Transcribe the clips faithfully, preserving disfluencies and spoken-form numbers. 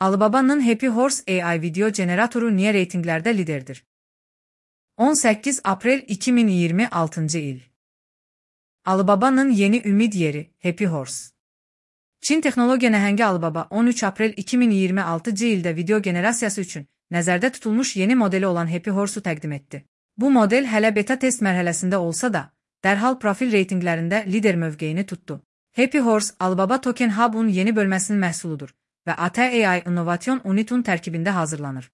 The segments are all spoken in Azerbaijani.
Alibaba'nın Happy Horse A I video generatoru niye reytinglerde liderdir? on sekiz April iki min iyirmi altıncı il. Alibaba'nın yeni ümid yeri Happy Horse. Çin texnologiya nəhəngi Alibaba on üç April iki min iyirmi altıncı ildə video generasiyası üçün nəzərdə tutulmuş yeni modeli olan Happy Horse'u təqdim etdi. Bu model hələ beta test mərhələsində olsa da, dərhal profil reytinglərində lider mövqeyini tutdu. Happy Horse, Alibaba Token Hub'un yeni bölməsinin məhsuludur və A T A I Innovation Unit'un tərkibində hazırlanır.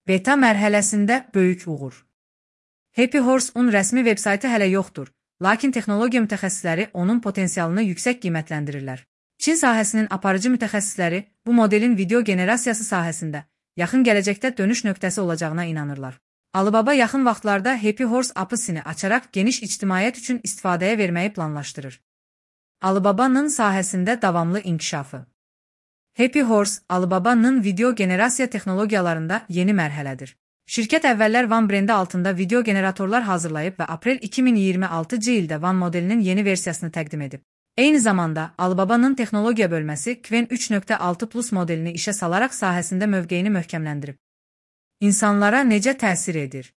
Beta mərhələsində böyük uğur. Happy Horse'un rəsmi veb-saytı hələ yoxdur, lakin texnologiya mütəxəssisləri onun potensialını yüksək qiymətləndirirlər. Çin sahəsinin aparıcı mütəxəssisləri bu modelin video generasiyası sahəsində yaxın gələcəkdə dönüş nöqtəsi olacağına inanırlar. Alibaba yaxın vaxtlarda Happy Horse app'ını açaraq geniş ictimaiyyət üçün istifadəyə verməyi planlaşdırır. Alibaba'nın sahəsində davamlı inkişafı. Happy Horse, Alibaba'nın video generasiya texnologiyalarında yeni mərhələdir. Şirkət əvvəllər Van brendi altında video generatorlar hazırlayıb və Aprel iki min iyirmi altıncı ildə Van modelinin yeni versiyasını təqdim edib. Eyni zamanda, Alibaba'nın texnologiya bölməsi Qwen üç nöqtə altı plus modelini işə salaraq sahəsində mövqeyini möhkəmləndirib. İnsanlara necə təsir edir?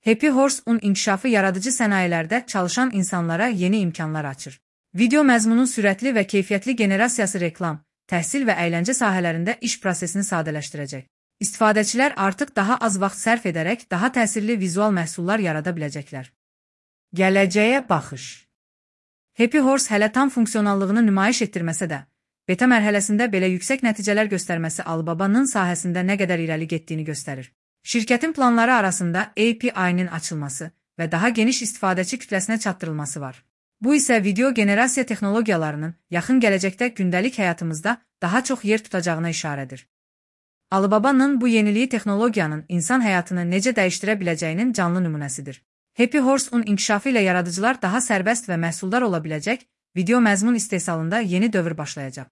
Happy Horse'un inkişafı yaradıcı sənayelərdə çalışan insanlara yeni imkanlar açır. Video məzmunun sürətli və keyfiyyətli generasiyası reklam, təhsil və əyləncə sahələrində iş prosesini sadələşdirəcək. İstifadəçilər artıq daha az vaxt sərf edərək daha təsirli vizual məhsullar yarada biləcəklər. Gələcəyə baxış. Happy Horse hələ tam funksiyonallığını nümayiş etdirməsə də, beta mərhələsində belə yüksək nəticələr göstərməsi Alibaba'nın sahəsində nə qədər irəli getdiyini göstərir. Şirkətin planları arasında A P I-nin açılması və daha geniş istifadəçi kütləsinə çatdırılması var. Bu isə video generasiya texnologiyalarının yaxın gələcəkdə gündəlik həyatımızda daha çox yer tutacağına işarədir. Alibaba'nın bu yeniliyi texnologiyanın insan həyatını necə dəyişdirə biləcəyinin canlı nümunəsidir. Happy Horse'un inkişafı ilə yaradıcılar daha sərbəst və məhsuldar ola biləcək, video məzmun istehsalında yeni dövr başlayacaq.